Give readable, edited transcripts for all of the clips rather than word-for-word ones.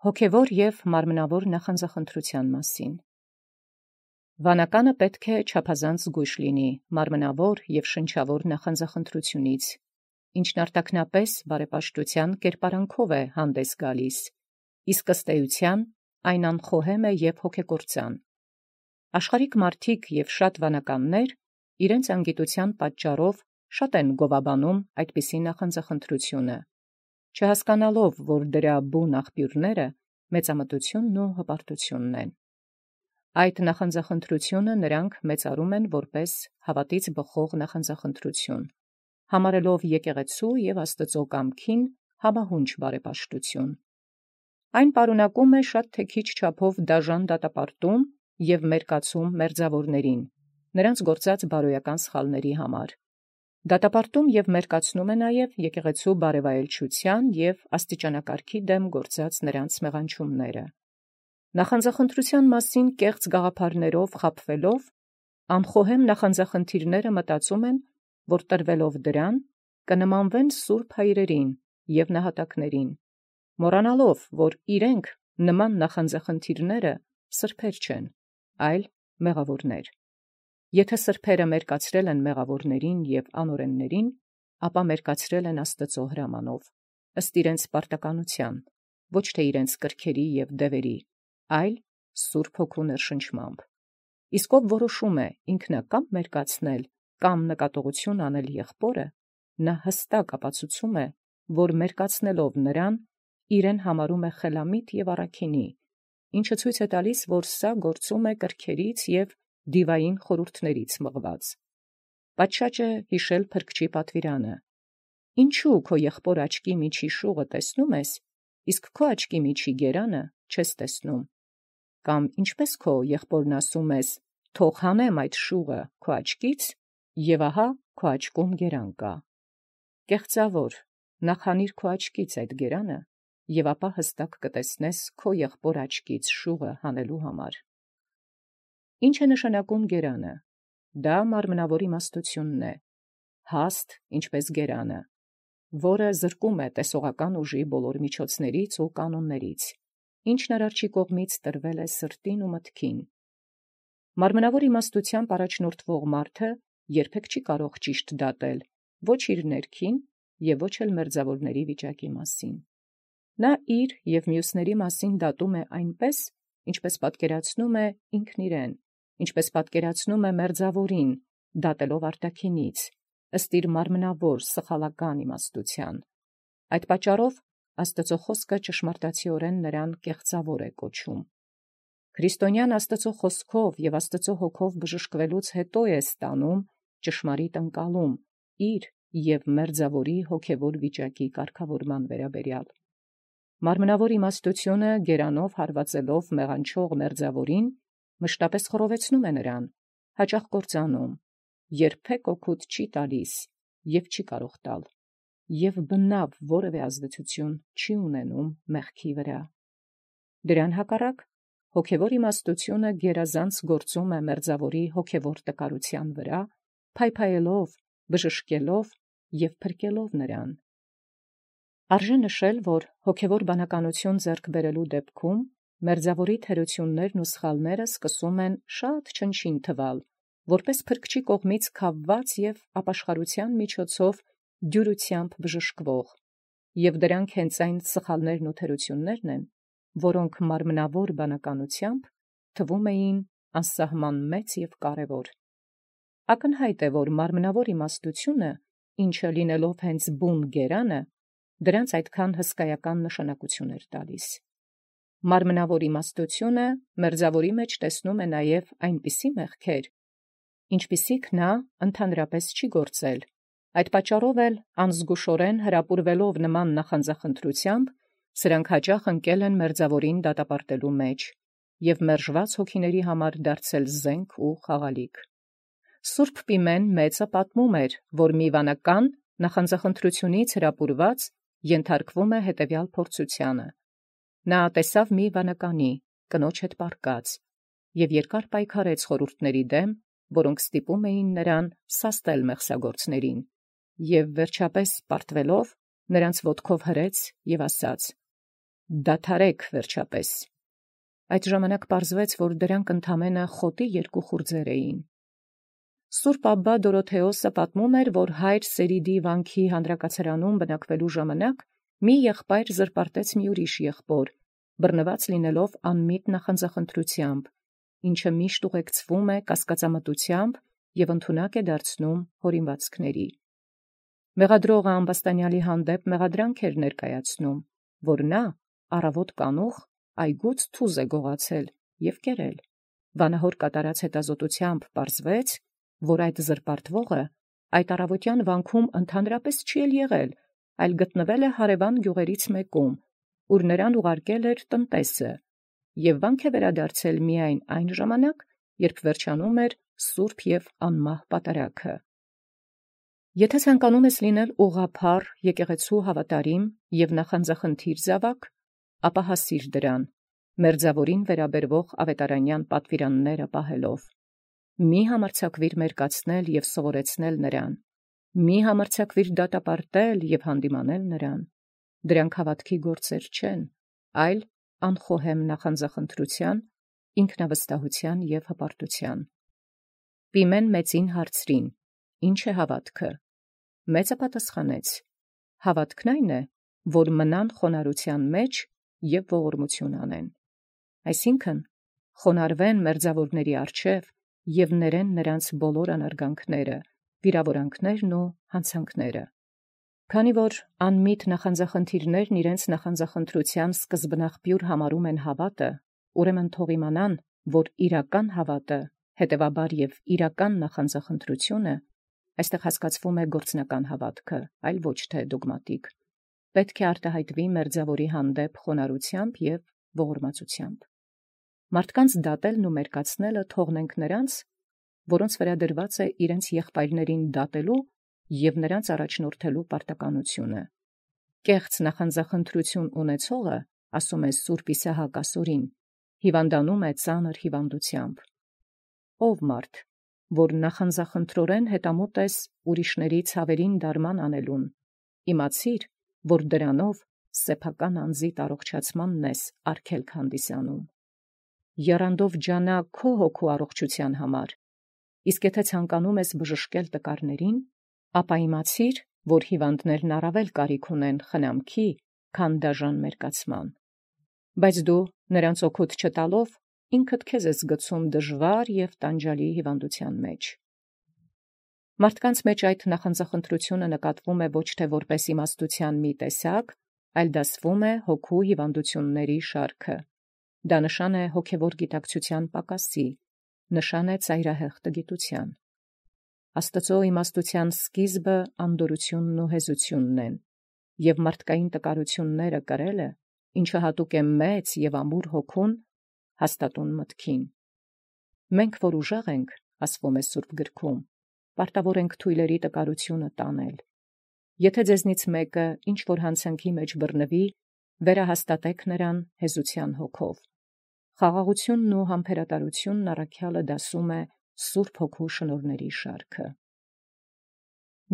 Հոգևոր և մարմնավոր նախանձախնդրութեան մասին։ Վանականը պետք է չափազանց զգոյշ լինի մարմնավոր և շնչավոր նախանձախնդրութիւնից, ինչն արտաքնապէս բարեպաշտութեան կերպարանքով է հանդես գալիս, իսկ ըստ էութեան այն անխոհեմ է և հոգեկործան։ Աշխարհիկ մարդիկ և շատ վանականներ իրենց անգիտութեան պատճառով շատ են գովաբանում այդպիսի նախանձախնդրութիւնը, չհասկանալով, որ դրա բուն աղբիւրները մեծամտութիւնն ու հպարտութիւնն են։ Այդ նախանձախնդրութիւնը նրանք մեծարում են որպէս հաւատից բխող նախանձախնդրութիւն, համարելով եկեղեցու և Աստուծոյ կամքին համահունչ բարեպաշտութիւն։ Այն պարունակում է շատ թե քիչ չափով դաժան դատապարտում և մերկացում մերձաւորացն, նրանց գործած բարոյական սխալացն համար։ Դատապարտում և մերկացնում է նաև եկեղեցու բարեւայելչութեան և աստիճանակարգի դեմ գործած նրանց մեղանչումները։ Նախանձախնդրութեան մասին կեղծ գաղափարներով խաբվելով, անխոհեմ նախանձախնդիրները մտածում են, որ տրվելով դրան կնմանվեն սուրբ հայրերին և նահատակներին, մոռանալով, որ իրենք նման նախանձախնդիրները սրբեր չեն, այլ մեղաւորներ։ Եթէ սրբերը մերկացրել են մեղաւորացն և անօրենացն, ապա մերկացրել են Աստուծոյ հրամանով, ըստ իրենց պարտականութեան, ոչ թէ իրենց կրքերի և դևերի, այլ Սուրբ Հոգու ներշնչմամբ։ Իսկ ով որոշում է ինքնակամ մերկացնել կամ նկատողութիւն անել եղբորը, նա հստակ ապացուցում է, որ մերկացնելով նրան, իրեն համարում է խելամիտ և առաքինի, ինչը ցույց է տալիս, որ սա գործում է կրքերից և դիվային խորհուրդներից մղված։ Պատշաճ է յիշել փրկչի պատուիրանը. «Ինչու քո եղբոր աչքի միջի շուղը տեսնում ես, իսկ քո աչքի միջի գերանը չես տեսնում»։ Կամ ինչպէս քո եղբորն ասում ես. «Թող հանեմ այդ շուղը քո աչքից», և ահա քո աչքում գերան կա։ Կեղծաւոր, նախ հանիր քո աչքից այդ գերանը, և ապա հստակ կտեսնես քո եղբոր աչքից շուղը հանելու համար։ Ի՞նչ է նշանակում գերանը։ Դա մարմնավոր իմաստութիւնն է, հաստ ինչպէս գերանը, որը զրկում է տեսողական ուժի բոլոր միջոցներից ու կանոններից, ինչն Արարչի կողմից տրվել է սրտին ու մտքին։ Մարմնավոր իմաստութեամբ առաջնորդվող մարդը երբեք չի կարող ճիշտ դատել ոչ իր ներքին և ոչ էլ մերձաւորացն վիճակի մասին։ Նա իր և մյուսների մասին դատում է այնպէս, ինչպէս պատկերացնում է ինքն իրեն, ինչպէս պատկերացնում է մերձաւորին, դատելով արտաքինից, ըստ իր մարմնավոր սխալական իմաստութեան։ Այդ պատճառով Աստուծոյ խոսքը ճշմարտացիորեն նրան կեղծաւոր է կոչում։ Քրիստոնեան Աստուծոյ խոսքով և Աստուծոյ Հոգով բժշկելուց հետո է ստանում ճշմարիտ ընկալում իր և մերձաւորի հոգևոր վիճակի կարգավորման վերաբերյալ։ Մարմնավոր իմաստութիւնը գերանով հարվածելով մեղանչող մերձաւորին մշտապէս խռովեցնում է նրան, հաճախ կործանում, երբեք օգուտ չի տալիս և չի կարող տալ, և բնաւ որևէ ազդեցութիւն չի ունենում մեղքի վրա։ Դրան հակառակ, հոգևոր իմաստութիւնը գերազանց գործում է մերձաւորի հոգևոր տկարութեան վրա, փայփայելով, բժշկելով և փրկելով նրան։ Արժե նշել, որ հոգևոր բանականութիւն ձեռք բերելոյ դեպքում մերձաւորի թերություններն ու սխալները սկսում են շատ չնչին թվալ, որպէս փրկչի կողմից քավված և ապաշխարութեան միջոցով դյուրութեամբ բժշկվող, և դրանք հենց այն սխալներն ու թերություններն են, որոնք մարմնավոր բանականութեամբ թվում էին անսահման մեծ և կարևոր։ Ակնհայտ է, որ մարմնավոր իմաստութիւնը, ինչը լինելով հենց բուն գերանը, դրանց այդքան հսկայական նշանակութիւն էր տալիս։ Մարմնավոր իմաստութիւնը մերձաւորի մեջ տեսնում է նաև այնպիսի մեղքեր, ինչպիսիք նա ընդհանրապես չի գործել, այդ պատճառով էլ անզգուշորեն հրապուրվելով նման նախանձախնդրութեամբ, սրանք հաճախ ընկել են մերձաւորին դատապարտելու մեջ և մերժված հոգիների համար դարձել զենք ու խաղալիք։ Սուրբ Պիմեն մեծը պատմում էր, որ մի վանական նախանձախնդրութիւնից հրապուրված ենթարկվում է հետևյալ փորձութեանը. նա տեսավ մի վանականի, կնոջ հետ պառկած, և երկար պայքարեց խորհուրդների դեմ, որոնք ստիպում էին նրան սաստել մեղսագործներին, և վերջապէս պարտվելով, նրանց ոտքով հրեց և ասաց. դադարեք վերջապես։ Այդ ժամանակ պարզվեց, որ դրանք ընդամենը խոտի երկու խուրձեր էին։ Սուրբ Աբբա Դորոթեոսը պատմում էր, որ հայր Սերիդի վանքի հանդրակացարանում բնակվելու ժամանակ մի եղբայր զրպարտեց մի ուրիշ եղբոր, բռնված լինելով անմիտ նախանձախնդրությամբ, ինչը միշտ ուղեկցվում է կասկածամտությամբ և ընդունակ է դարձնում հորինվածքների։ Մեղադրողը ամբաստանյալի հանդեպ մեղադրանք էր ներկայացնում, որ նա առավոտ կանուխ այգուց թուզ է գողացել և կերել։ Վանահոր կատարած հետազոտությամբ պարզվեց, որ այդ զրպարտվողը այդ առավոտյան վանքում ընդհանրապես չի էլ եղել, այլ գտնվել է հարևան գյուղերից մեկում, ուր նրան ուղարկել էր տնտեսը, և վանք է վերադարձել միայն այն ժամանակ, երբ վերջանում էր սուրբ և անմահ պատարագը։ Եթե ցանկանում ես լինել ուղղափառ, եկեղեցու հավատարիմ և նախանձախնդիր զավակ, ապա հասիր դրան, մերձավորին վերաբերվող ավետարանյան պատվիրանները պահելով։ Մի համարձակվիր մերկացնել և սովորեցնել նրան, մի համարձակվիր դատապարտել և հանդիմանել նրան։ Դրանք հավատքի գործեր չեն, այլ անխոհեմ նախանձախնդրության, ինքնավստահության և հպարտության։ Պիմեն մեծին հարցրին. «Ինչ է հավատքը»։ Մեծը պատասխանեց. «Հավատքն այն է, որ մնան խոնարհության մեջ և ողորմություն անեն»։ Այսինքն, խոնարհվեն մերձավորների առջև և ներեն նրանց բոլոր անարգանքները, վիրավորանքներն ու հանցանքները։ Քանի որ անմիտ նախանձախնդիրներն իրենց նախանձախնդրության սկզբնաղբյուր համարում են հավատը, ուրեմն թող իմանան, որ իրական հավատը, հետևաբար և իրական նախանձախնդրությունը, այստեղ հասկացվում է գործնական հավատքը, այլ ոչ թե դոգմատիկ, պետք է արտահայտվի մերձավորի հանդեպ խոնարհությամբ և ողորմածությամբ։ Մարդկանց դատելն ու մերկացնելը թողնենք նրանց, որոնց վրա դրված է իրենց եղբայրներին դատելու և նրանց առաջնորդելու պարտականությունը։ Կեղծ նախանձախնդրություն ունեցողը, ասում է Սուրբ Իսահակ ասորին, հիվանդանում է ծանր հիվանդությամբ։ Ով մարդ, որ նախանձախնդրորեն հետամուտ ես ուրիշների ցավերին դարման անելուն, իմացիր, որ դրանով սեփական անձիդ առողջացմանն ես արգելք հանդիսանում։ Եռանդով ջանա քո հոգու առողջության համար, իսկ եթե ցանկանում ես բժշկել տկարներին, ապա իմացիր, որ հիվանդներն առավել կարիք ունեն խնամքի, քան դաժան մերկացման։ Բայց դու նրանց օգուտ չտալով, ինքդ քեզ ես գցում դժվար և տանջալի հիվանդության մեջ։ Մարդկանց մեջ այդ նախանձախնդրությունը նկատվում է ոչ թե որպես իմաստության մի տեսակ, այլ դասվում է հոգու հիվանդությունների շարքը։ Դա նշան է հոգևոր գիտակցության պակասի, նշան է ծայրահեղ տգիտության։ Աստծո իմաստության սկիզբը անդորությունն ու հեզությունն են, և մարդկային տկարությունները կրելը, ինչը հատուկ է մեծ և ամուր հոգուն, հաստատուն մտքին։ Մենք, որ ուժեղ ենք, ասվում է Սուրբ գրքում, պարտավոր ենք թույլերի տկարությունը տանել։ Եթե ձեզնից մեկը ինչ-որ հանցանքի մեջ բռնվի, վերահաստատեք նրան հեզության հոգով։ Խաղաղությունն ու համբերատարությունն առաքյալը դասում է Սուրբ Հոգու շնորհների շարքը։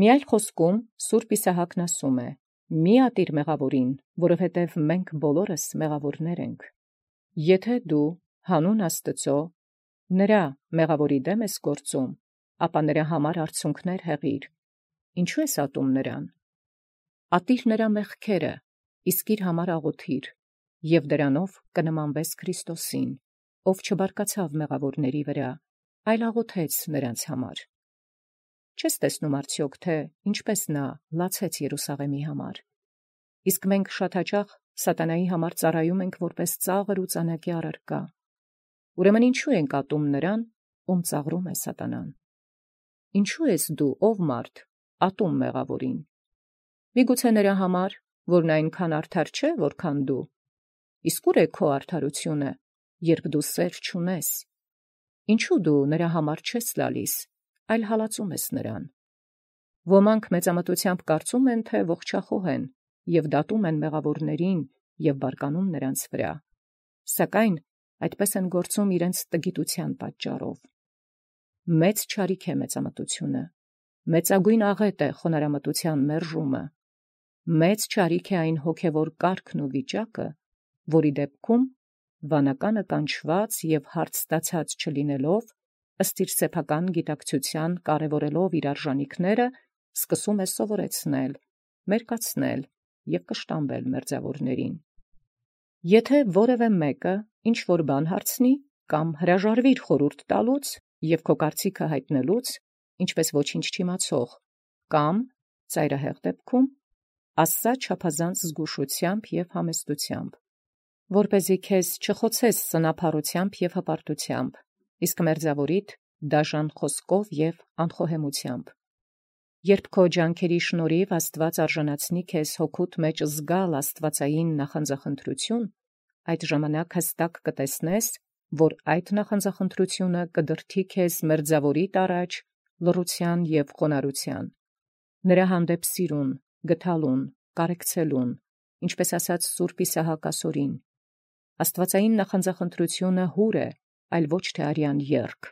Մի այլ խոսքում Սուրբ Իսահակն ասում է. «Մի ատիր մեղավորին, որովհետև մենք բոլորս մեղավորներ ենք»։ Եթե դու հանուն Աստծո նրա մեղավորի դեմ ես գործում, ապա նրա համար արցունքներ հեղիր։ Ինչու ես ատում նրան։ Ատիր նրա մեղքերը, իսկ իր համար աղոթիր, և դրանով կնմանվես Քրիստոսին, ով չբարկացավ մեղավորների վրա, այլ աղոթեց նրանց համար։ Չես տեսնում արդյոք, թե ինչպես նա լացեց Երուսաղեմի համար։ Իսկ մենք շատ հաճախ սատանայի համար ծառայում ենք որպես ծաղր ու ծանակի առարկա։ Ուրեմն ինչու ենք ատում նրան, ում ծաղրում է սատանան։ Ինչու ես դու, ով մարդ, ատում մեղավորին։ Միգուցե նրա համար, որ նա այնքան արդար չէ, որքան դու։ Իսկ ուր է քո արդարությունը, երբ դու սեր չունես։ Ինչու դու նրա համար չես լալիս, այլ հալածում ես նրան։ Ոմանք մեծամտությամբ կարծում են, թե ողջախոհ են և դատում են մեղավորներին և բարկանում նրանց վրա, սակայն այդպես են գործում իրենց տգիտության պատճառով։ Մեծ չարիք է մեծամտությունը, մեծագույն աղետ է խոնարհամտության մերժումը, մեծ չարիք է այն հոգևոր կարգն ու վիճակը, որի դեպքում վանականը կանչված և հարց ստացած չլինելով, ըստ իր սեփական գիտակցութեան կարևորելով իր արժանիքները, սկսում է սովորեցնել, մերկացնել և կշտամբել մերձաւորներին։ Եթե որևէ մեկը ինչ որ բան հարցնի, կամ հրաժարվիր խորհուրդ տալուց և քո կարծիքը հայտնելուց, ինչպես ոչինչ չիմացող, կամ ծայրահեղ դեպքում, ասա չափազանց զգուշությամբ և համեստությամբ, որպեսզի քեզ չխոցես սնափառութեամբ և հպարտությամբ, իսկ մերձաւորիդ դաժան խոսքով և անխոհեմությամբ։ Երբ քո ջանքերի շնորհիվ Աստուած արժանացնի քեզ հոգուդ մեջ զգալ աստուածային նախանձախնդրութիւն, այդ ժամանակ հստակ կտեսնես, որ այդ նախանձախնդրութիւնը կդրդի քեզ մերձաւորիդ առաջ լռութեան և խոնարհութեան, նրա հանդեպ սիրուն, գթալուն, կարեկցելուն, ինչպես ասաց Սուրբ Իսահակ ասորին. աստուածային նախանձախնդրութիւնը յուր է, այլ ոչ թե արյան եռք,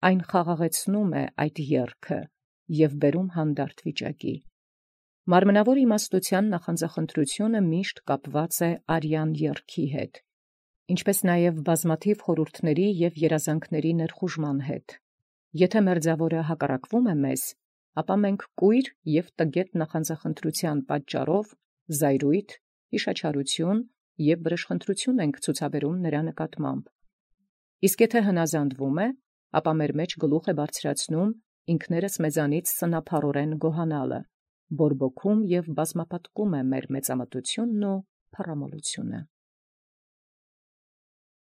այն խաղաղեցնում է այդ եռքը և բերում հանդարտ վիճակի։ Մարմնավոր իմաստութեան նախանձախնդրութիւնը միշտ կապված է արյան եռքի հետ, ինչպես նաև բազմաթիվ խորհուրդների և երազանքների ներխուժման հետ։ Եթե մերձաւորը հակառակվում է մեզ, ապա մենք կույր և տգետ նախանձախնդրութեան պատճառով զայրույթ, յիշաչարութիւն և վրեժխնդրութիւն ենք ցուցաբերում նրա նկատմամբ։ Իսկ եթե հնազանդվում է, ապա մեր մեջ գլուխ է բարձրացնում ինքներս մեզանից սնափառորեն գոհանալը, բորբոքում և բազմապատկում է մեր մեծամտությունն ու փառամոլությունը։